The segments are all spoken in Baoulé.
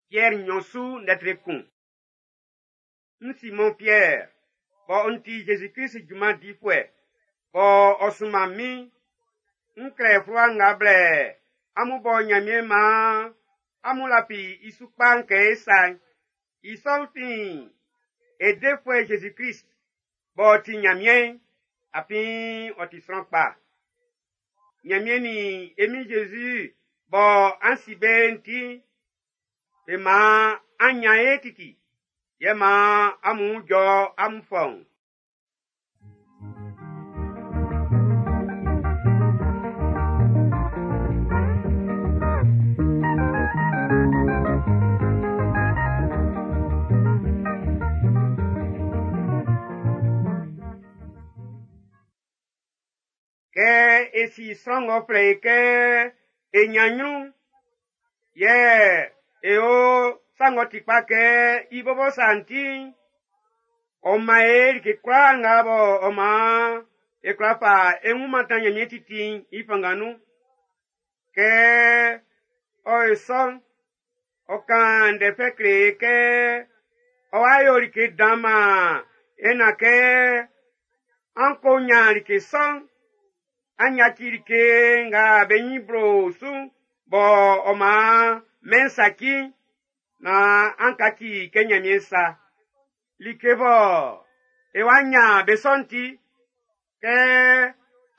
Piɛr nnyɔn su ndɛ tre kun. N Simɔn Piɛr, bɔ n ti Jésus-Krist junman difuɛ, bɔ ɔ sunman min, n klɛ fluwa nga blɛ amun bɔ Nyanmiɛn maan amun lafi i su kpa'n kɛ e sa'n. I sɔ'n fin e Defuɛ Jésus-Krist b'ɔ ti Nyanmiɛn'n, afin ɔ ti sran kpa. Nyanmiɛn nin e Min Jésus bɔ an si be'n ti'n, be maan an nyan ye titi, yɛ maan amun wun jɔ amun fɔuun. Kɛ e si sran ng'ɔ flɛ e kɛ e nyan nyrun'n, yɛ e yo sa ng'ɔ ti kpa kɛ i bɔbɔ sa'n ti'n, ɔ man e like kwlaa nga bɔ ɔ maan e kwla fa e wun mantan Nyanmiɛn titi'n i fanngan nun. Kɛ ɔ yo sɔ'n, ɔ kan ndɛ fɛ kle e kɛ ɔ wa yo like dan man e nan kɛ an ko nyan like sɔ'n, an yaci like nga be nyin blo su'n bɔ ɔ maan mɛn'n saci'n, naan an kaci kɛ Nyanmiɛn sa. Like bɔ e wa nyan be sɔ'n ti, kɛ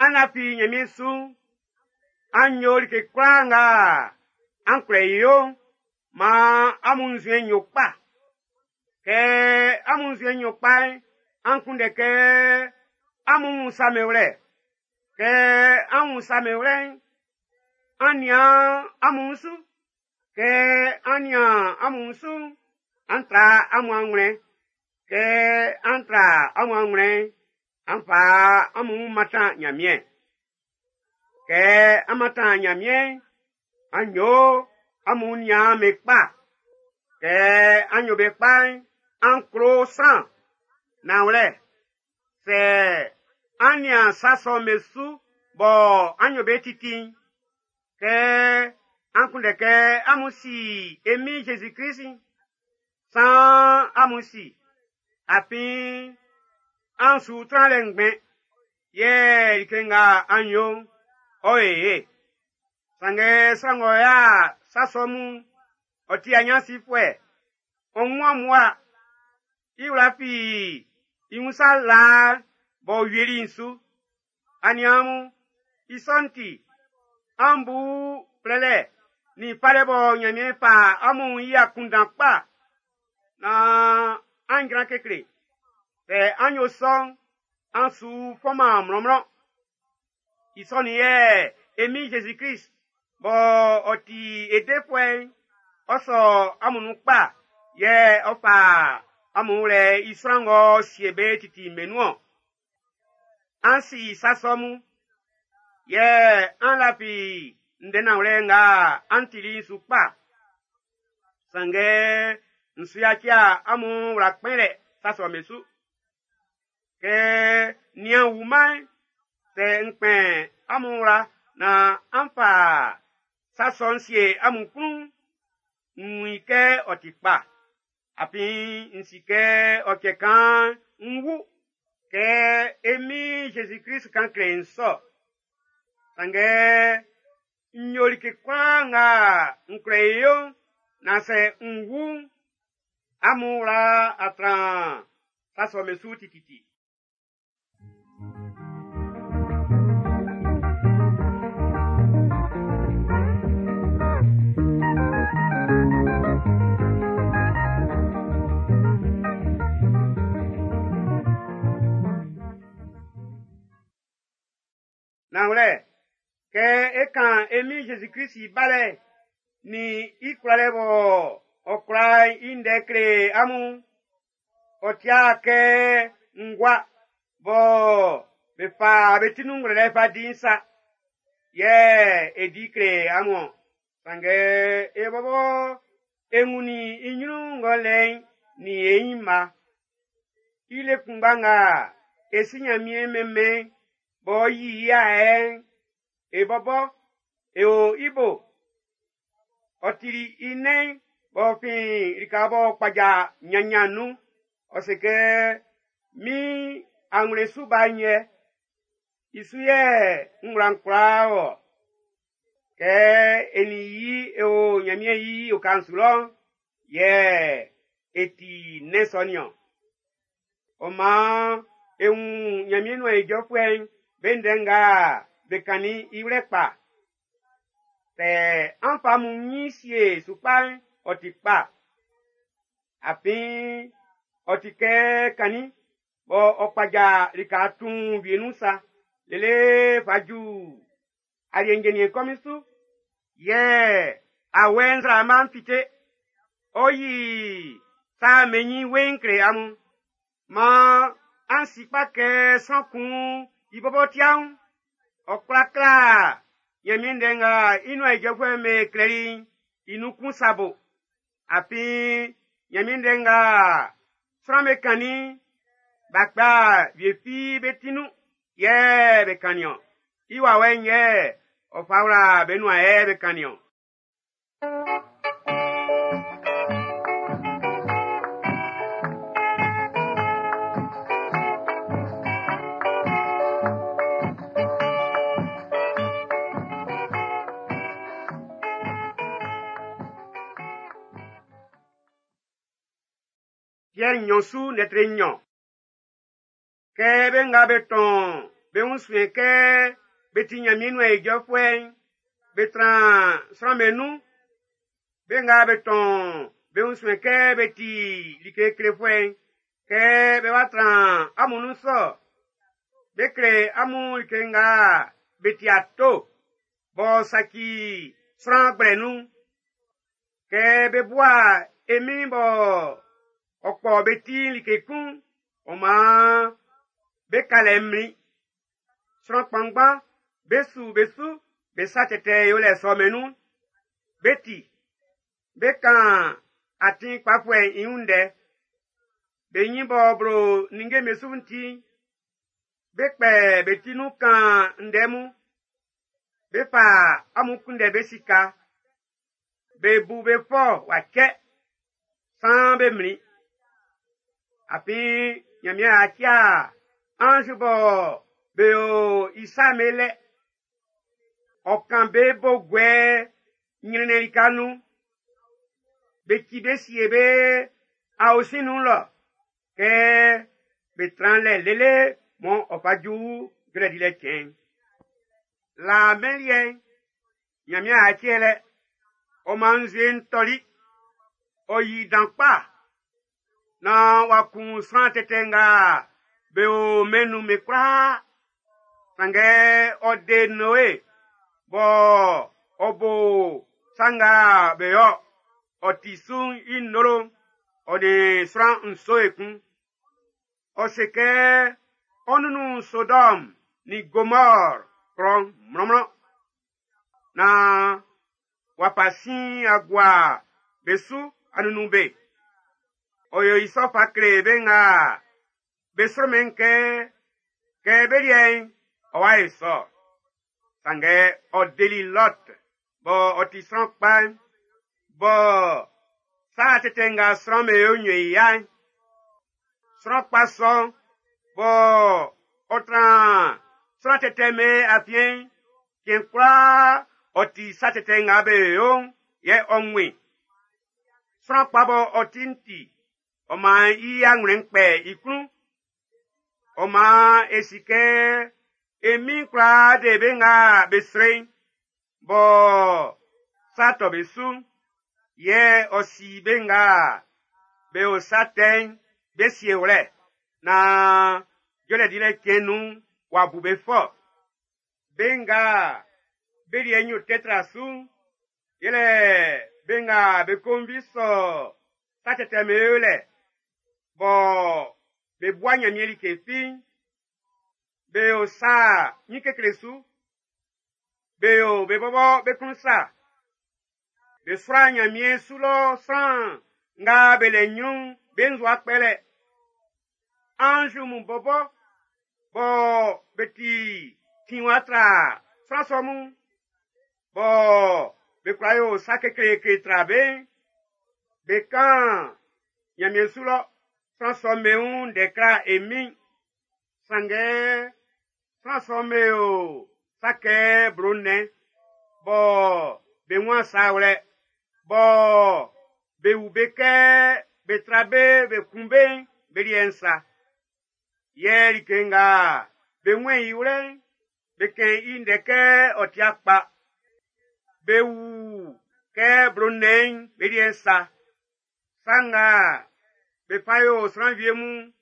an lafi Nyanmiɛn su'n, an yo like kwlaa nga an kwlɛ i yo'n, maan amun nzuɛn'n yo kpa. Kɛ amun nzuɛn'n yo kpa'n, an kunndɛ kɛ amun wun sa be wlɛ. Kɛ an wun sa be wlɛ'n, an nian amun wun su. Kɛ an nian amun wun su'n, an tra amun anwlɛn. Kɛ an tra amun anwlɛn'n, an fa amun wun mantan Nyanmiɛn. Kɛ an mantan Nyanmiɛn'n, an yo amun niaan'm be kpa. Kɛ an yo be kpa'n, an klo sran. Nanwlɛ, sɛ an nian sa sɔ'm be su bɔ an yo be titi'n, kɛ an kunndɛ kɛ amun si e Min Jésus-Krist'n, saan amun si, afin an su tran lɛ ngbɛn, yɛ like nga an yo'n, ɔ yo ye. Sanngɛ sran ng'ɔ ya sa sɔ mun'n, ɔ ti anyansifuɛ, ɔ wun mmua, i wla fi i wun sa laa b'ɔ wieli'n su. Aniaan mun, i sɔ'n ti, an bu flɛlɛ nin falɛ bɔ Nyanmiɛn fa amun i akunndan kpa, naan an jran kekle. Sɛ an yo sɔ'n, an su fɔnman mlɔnmlɔn. I sɔ'n yɛ e Min Jésus-Krist bɔ ɔ ti e Defuɛ'n, ɔ sɔ amun nun kpa, yɛ ɔ fa amun wlɛ i sran ng'ɔ sie be titi'n be nun-ɔn. An si sa sɔ mun, yɛ an lafi ndɛ nanwlɛ nga an tili'n su kpa. Sanngɛ n su yaci amun wla kpɛnlɛ sa sɔ'm be su. Kɛ nian wuman'n, sɛ n kpɛn amun wla naan an fa sa sɔ'n sie amun klun'n, n wun i kɛ ɔ ti kpa. Afin n si kɛ ɔ cɛ kan'n n wu. Kɛ e Min Jésus-Krist kan kle n sɔ. Sanngɛ n yo like kwlaa nga n kwlɛ i yo'n, naan sɛ n wu'n, amun wla a tran sa sɔ'm be su tititi. Nanwlɛ, kɛ e kan e Min Jésus-Krist i balɛ'n nin i kwlalɛ bɔ ɔ kwla'n i ndɛ kle amun'n, ɔ tia kɛ ngua bɔ be fa be ti nun ngwlɛlɛ fa di'n sa, yɛ e di kle amun-ɔn. Sanngɛ e bɔbɔ e wunnin i nyrun ng'ɔ lɛ i'n nin e nyinma. I le kunngba nga e si Nyanmiɛn mɛnmɛn'n b'ɔ yi i ayɛ'n, e bɔbɔ e o i bo. Ɔ tili i nɛn'n b'ɔ fin lika b'ɔ kpaja nyannyannyan'n nun, ɔ se kɛ min anwlɛn su ba'n yɛ, i su yɛ n wla'n kwlaa wɔ. Kɛ e nin i e o Ɲanmiɛn i oka'n su lɔ'n, yɛ e ti nnɛn sɔ nin-ɔn. Ɔ maan e wun Ɲanmiɛn nuan ijɔfuɛ'n be ndɛ nga be kannin'n i wlɛ kpa. Sɛ an fa amun ɲin sie su kpa'n, ɔ ti kpa. Afin ɔ ti kɛ kannin bɔ ɔ kpaja lika tuun wie nun sa, lele fa ju aliɛ njɛnniɛn kɔmin su. Yɛ awɛ nzraama'n fite, ɔ yi sa mɛnnin weiin kle amun. Maan an si kpa kɛ sran kun i bɔbɔ tiaun, ɔ kwla kla Ɲanmiɛn ndɛ nga i nuan ijɔfuɛ'm be klɛli'n i nun kun sa bo. Afin Ɲanmiɛn ndɛ nga sran'm be kannin'n, b'a kpa wie fi be ti nun yɛ be kannin-ɔn. I wawɛ'n yɛ ɔ fa wla be nuan yɛ be kannin-ɔn. Piɛr nnyɔn su lɛtri nnyɔn. Kɛ be nga be tɔn be wun suɛn kɛ be ti Ɲanmiɛn nuan ijɔfuɛ'n, be tran sran'm be nun. Be nga be tɔn be wun suɛn kɛ be ti like klefuɛ'n, kɛ be wa tran amun nun sɔ. Be kle amun like nga be ti ato, b'ɔ saci sran gblɛ nun'n. Kɛ be bua e Min'n bɔ ɔ kpɔ be ti'n like kun'n, ɔ maan be ka lɛ mlin. Sran kpanngban be su be su be sa tɛtɛ yolɛ sɔ'm be nun. Be ti, be kan atin kpafuɛ'n i wun ndɛ. Be ɲin b'ɔ blo ninnge'm be su'n ti'n, be kpɛ be ti nun kan ndɛ mun. Be fa amun kunndɛ be sika. Be bu be fɔ w'a cɛ, saan be mlin. Afin Ɲanmiɛn a cia anz bɔ be o i sa'n be lɛ. Ɔ kan be bo guɛ ɲrɛnnɛn lika nun. Be ci be sie be aosin nun lɔ kɛ be tran lɛ lele mɔ ɔ fa ju jɔlɛ dilɛ cɛn'n. Laa mɛn liɛ'n, Ɲanmiɛn a cɛ lɛ. Ɔ maan nzue'n tɔli. Ɔ yi dan kpa naan w'a kun sran tɛtɛ nga be o mɛn'n nun'n be kwlaa. Sanngɛ ɔ de Noe bɔ ɔ bo sa nga be yo ɔ ti su'n i nnolo ɔ nin sran nso ekun. Ɔ se kɛ ɔ nunnun Sodɔm nin Gomɔr klɔ'n mlɔnmlɔn naan w'a fa sin a gua be su a nunnun be. Ɔ yo i sɔ fa kle be nga be sromɛn kɛ, kɛ be liɛ'n ɔ wa ye sɔ. Sanngɛ ɔ deli Lɔt bɔ ɔ ti sran kpa'n, bɔ sa tɛtɛ nga sran'm be yo nyo i ya'n. Sran kpa sɔ'n bɔ ɔ tran sran tɛtɛ'm be afiɛn'n, cɛn kwlaa ɔ ti sa tɛtɛ nga be yo'n yɛ ɔ wun i. Sran kpa bɔ ɔ ti'n ti, ɔ maan i anwlɛn'n kpɛ i klun. Ɔ maan e si kɛ e Min'n kwla de be nga be srɛ i'n, bɔ sa tɔ be su'n, yɛ ɔ si be nga be o sa tɛ'n be siewlɛ naan jɔlɛ dilɛ cɛn'n nun'n w'a bu be fɔ. Be nga be liɛ nyo tɛ tra su'n, yɛlɛ be nga be konvi sɔ sa tɛtɛ'm be yolɛ, bɔ be bua Ɲanmiɛn like fi'n, be yo sa ɲin kekle su, be yo be bɔbɔ be klun sa. Be sua Ɲanmiɛn su lɔ sran nga be le ɲrun'n be nzua kpɛlɛ. Anz mun bɔbɔ bɔ be ti tinwa tra sran sɔ mun, bɔ be kwla yo sa kekleekle tra be'n, Be kan Ɲanmiɛn su lɔ sran sɔ'm be wun ndɛ kla e Min'n. Sanngɛ sran sɔ'm be yo sa kɛ blo nnɛn bɔ be wun sa wlɛ, bɔ be wu be kɛ be tra be be kun be'n be liɛ'n sa. Yɛ like nga be wun i wlɛ'n, be kɛn i ndɛ kɛ ɔ tia kpa. Be wu kɛ blo nnɛn'n be liɛ'n sa. Sa nga be fa yo sran wie mun,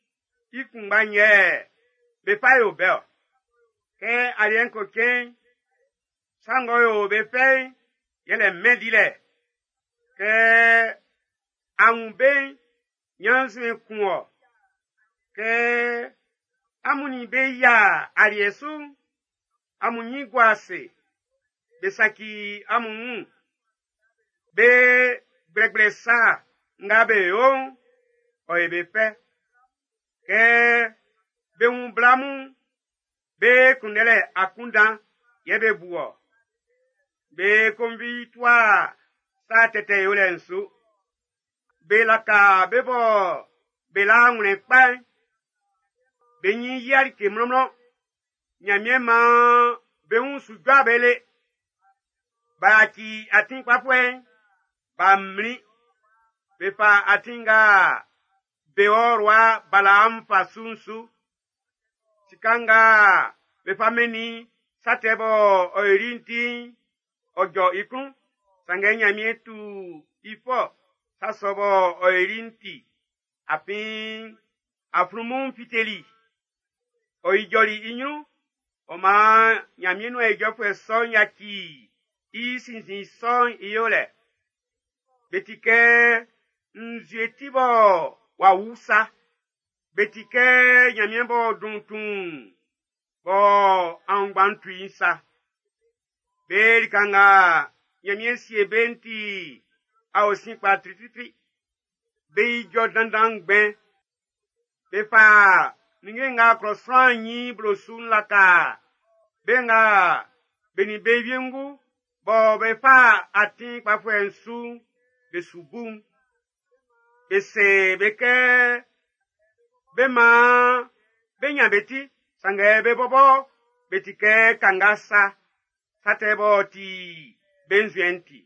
i kunngba'n yɛ be fa yo be-ɔ. Kɛ aliɛ'n ko cɛn'n, sa ng'ɔ yo be fɛ'n, yɛlɛ mɛn dilɛ. Kɛ a wun be'n, ɲannzuɛn kun wɔ. Kɛ amun nin be yia aliɛ su'n, amun ɲin gua ase. Be saci amun wun. Be gblɛgblɛ sa nga be yo'n, ɔ yo be fɛ. Kɛ be wun bla mun'n, be kunndɛlɛ akunndan yɛ be bu ɔ. Be konvi tua sa tɛtɛ yolɛ'n su. Be laka be bɔ be la anwlɛn kpa'n. Be nyin yia like mlɔnmlɔn. Ɲanmiɛn maan be wun su jɔ be le. B'a yaci atin kpafuɛ'n, b'a mlin. Be fa atin nga Beor wa Balaam fa su'n su. Sika nga be fa mɛnnin sa tɛ bɔ ɔ yoli'n ti'n, ɔ jɔ i klun. Sanngɛ Ɲanmiɛn tu i fɔ sa sɔ bɔ ɔ yoli'n ti. Afin aflunmun'n fiteli. Ɔ ijɔli i ɲrun. Ɔ maan Ɲanmiɛn nuan ijɔfuɛ sɔ'n yaci i sinnzin sɔ'n i yolɛ. Be ti kɛ nzue ti bɔ w'a wu sa. Be ti kɛ Ɲanmiɛn b'ɔ dun tuun bɔ aunngban'n tu i'n sa. Be lika nga Ɲanmiɛn sie be'n ti aosin kpa tritritri. Be ijɔ dandan ngbɛn. Be fa ninnge nga klɔ sran ɲin blo su'n laka be nga be nin be wiengu bɔ be fa atin kpafuɛ'n su'n be su bu'n. Be se be kɛ be maan be ɲan be ti, sanngɛ be bɔbɔ be ti kɛ kanga sa, sa tɛ b'ɔ ti be nzuɛn'n ti.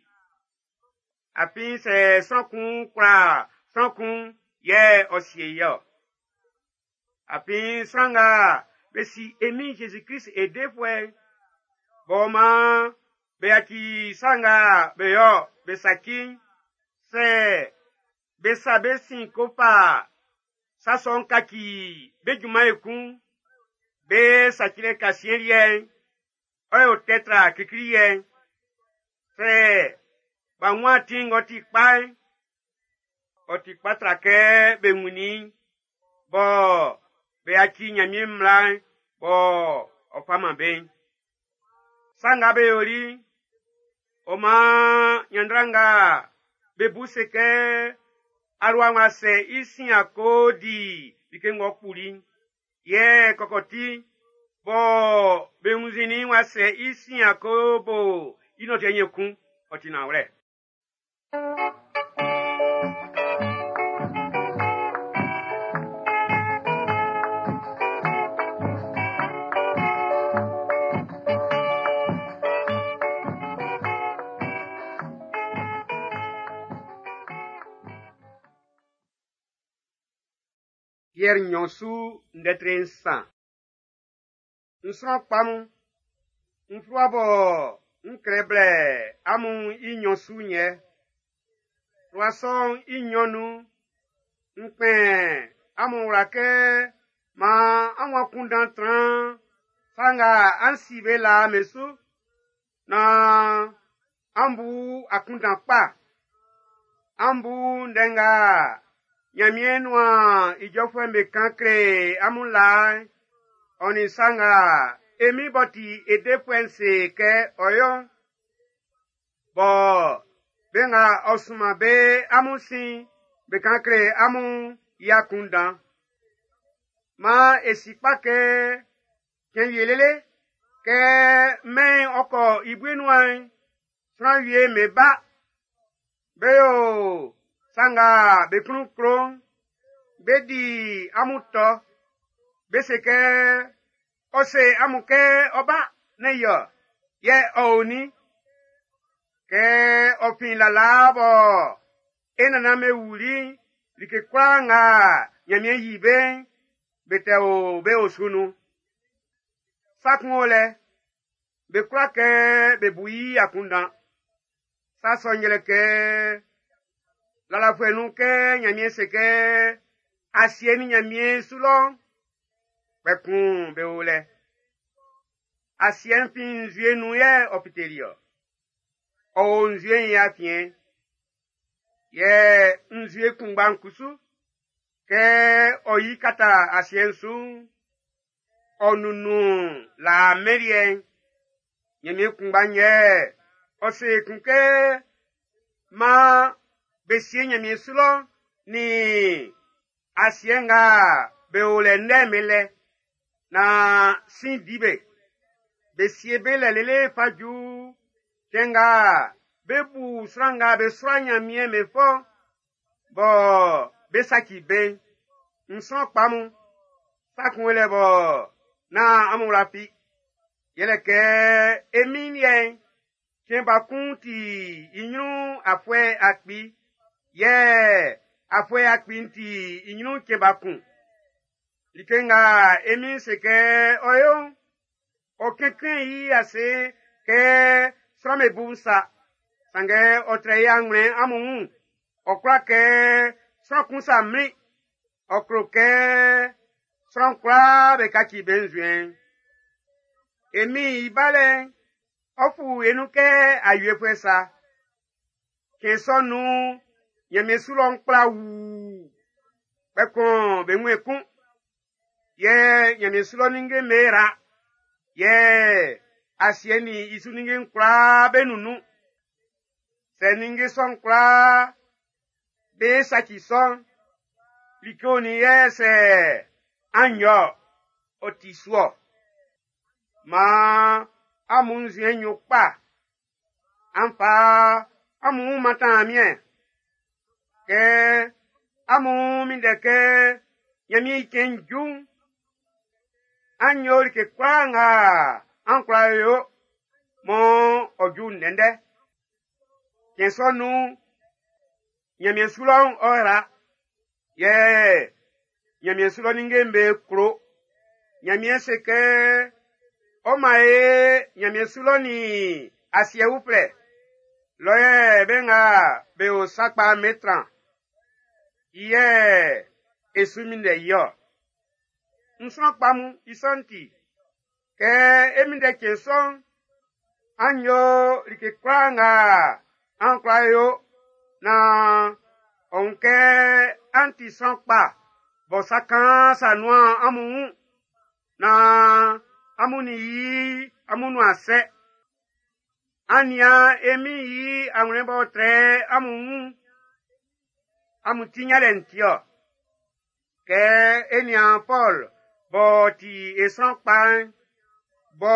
Afin sɛ sran kun kwla sran kun yɛ ɔ sie i-ɔ. Afin sran nga be si e Min Jésus-Christ e defuɛ'n, b'ɔ maan be yaci sa nga be yo be saci'n, sɛ be sa be sin ko fa sa sɔ'n kaci be junman ekun, be sacilɛ kasiɛn liɛ'n, ɔ yo tɛ tra klikli liɛ'n. Sɛ b'a wun atin ng'ɔ ti kpa'n, ɔ ti kpa tra kɛ be wunnin i'n, bɔ be yaci Ɲanmiɛn mmla'n bɔ ɔ fa man be'n. Sa nga be yoli'n, ɔ maan ɲanndra nga be bu se kɛ alua w'a sɛ i sin a ko di like ng'ɔ kpuli'n, yɛ kɔkɔti bɔ be wunnzinnin w'a sɛ i sin a ko bo i nɔtiɛ'n ekun, ɔ ti nanwlɛ. Piɛr nɲɔn su ndɛ tre nsan. N sran kpa mun, n fluwa bɔ n klɛ blɛ amun i nɲɔn su'n yɛ. Fluwa sɔ'n i nɲɔn nun'n, n kpɛn amun wla kɛ maan amun akunndan tran sa nga an si be laa'n be su, naan an bu akunndan kpa. An bu ndɛ nga Ɲanmiɛn nuan ijɔfuɛ'm be kan kle amun laa'n, ɔ nin sa nga e Min b'ɔ ti e defuɛ'n se kɛ ɔ yo'n, bɔ be nga ɔ sunman be amun sin'n be kan kle amun'n i akunndan. Maan e si kpa kɛ cɛn wie lele, kɛ mɛn'n ɔ kɔ i bue nuan'n, sran wie'm be ba, be yo Sa nga be klun klo'n, be di amun tɔ. Be se kɛ, ɔ se amun kɛ ɔ ba, nɛ́n i-ɔ, yɛ ɔ o nin? Kɛ ɔ fin lalaa bɔ e nannan'm be wuli'n, like kwlaa nga Nyanmiɛn yi be'n, be tɛ o be osu nun. Sa kun o lɛ, be kwla kɛ be bu i akunndan. Sa sɔ'n yɛlɛ kɛ, lalafuɛ nun kɛ Nyanmiɛn se kɛ asiɛ nin Nyanmiɛn su lɔ'n, kpɛkuun be o lɛ. Asiɛ'n fin nzue nun yɛ ɔ fiteli-ɔ. Ɔ o nzue'n i afiɛn. Yɛ nzue kunngba'n kusu, kɛ ɔ yi kata asiɛ'n su'n, ɔ nunnun laa mɛn liɛ'n. Nyanmiɛn kunngba'n yɛ ɔ se ekun kɛ maan be sie Nyanmiɛn su lɔ nin asiɛ nga be o lɛ ndɛ'n be lɛ, naan sin di be. Be sie be lɛ lele fa ju cɛn nga be bu sran nga be sua Nyanmiɛn be fɔ bɔ be saci be'n. N sran kpa mun, sa kun o lɛ bɔ nán amun wla fi. Yɛlɛ kɛ e Min'n liɛ'n, cɛn ba kun ti i nyrun afuɛ 1000, yɛ afuɛ 1000 ti i nyrun cɛn ba kun. Like nga e Min'n se kɛ ɔ yo'n, ɔ kɛnkɛn i ase kɛ sran'm be bu'n sa, sanngɛ ɔ trɛ i anwlɛn amun wun. Ɔ kwla kɛ sran kun sa mlin, ɔ klo kɛ sran kwlaa be kaci be nzuɛn'n. E Min'n i balɛ'n, ɔ fu e nun kɛ awiefuɛ sa. Cɛn sɔ'n nun'n, Nyanmiɛn su lɔ'n kpla wuu, kpɛkun be wun ekun. Yɛ Nyanmiɛn su lɔ ninnge'm be yra, yɛ asiɛ nin i su ninnge'n kwlaa be nunnun. Sɛ ninnge sɔ'n kwlaa be saci sɔ'n, like onin yɛ sɛ an yo-ɔ, ɔ ti su-ɔ. Maan amun nzuɛn'n yo kpa. An fa amun wun mantan Nyanmiɛn. Kɛ amun minndɛ kɛ Nyanmiɛn i cɛn'n ju'n, an yo like kwlaa nga an kwla yo mɔ ɔ ju ndɛndɛ. Cɛn sɔ'n nun'n, Nyanmiɛn su lɔ'n ɔ yra, yɛ Nyanmiɛn su lɔ ninnge'm be klo. Nyanmiɛn se kɛ ɔ man e Nyanmiɛn su lɔ nin asiɛ uflɛ. Lɔ yɛ be nga be o sa kpa'n be tran. I yɛ e su minndɛ i-ɔ. N sran kpa mun, i sɔ'n ti, kɛ e minndɛ cɛn sɔ'n, an yo like kwlaa nga an kwla yo naan ɔ wun kɛ an ti sran kpa bɔ sa kaan sa nuan amun wun, naan amun nin i amun nuan sɛ. An nian e Min'n i anwlɛn b'ɔ trɛ amun wun, amun ti nyanlɛ'n ti-ɔ. Kɛ e nian Pɔl b'ɔ ti e sran kpa'n, bɔ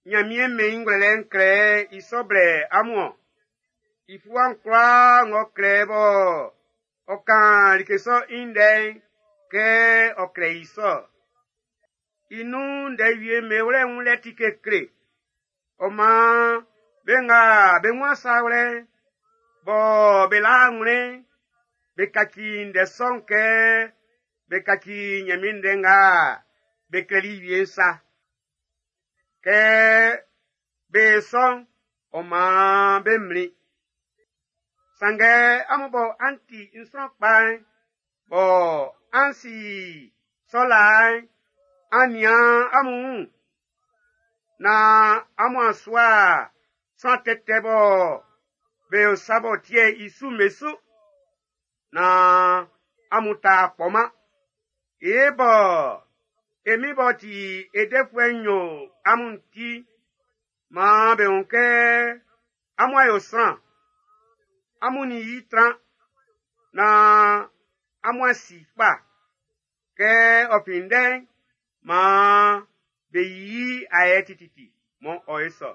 Nyanmiɛn mɛn i ngwlɛlɛ'n klɛ i sɔ blɛ amun-ɔn. I fluwa'n kwlaa ng'ɔ klɛ bɔ ɔ kan like sɔ i ndɛ'n, kɛ ɔ klɛ i sɔ. I nun ndɛ wie'm be wlɛ wunlɛ ti kekle. Ɔ maan be nga be wun sa wlɛ'n, bɔ be la anwlɛn'n, be kaci ndɛ sɔ'n kɛ be kaci Nyanmiɛn ndɛ nga be klɛli wie'n sa. Kɛ be sɔ'n, ɔ maan be mlin. Sanngɛ amun bɔ an ti n sran kpa'n, bɔ an si sɔ laa'n, an nian amun wun, naan amun a sua sran tɛtɛ bɔ be o sa b'ɔ ti'ɛ i su'n be su, naan amun ta kpɔman. E bɔ e Min b'ɔ ti e defuɛ'n yo amun ti, maan be wun kɛ amun a yo sran, amun nin i tran, naan amun a si kpa. Kɛ ɔ fin ndɛ'n, maan be yi ayɛ tititi mɔ ɔ ye sɔ.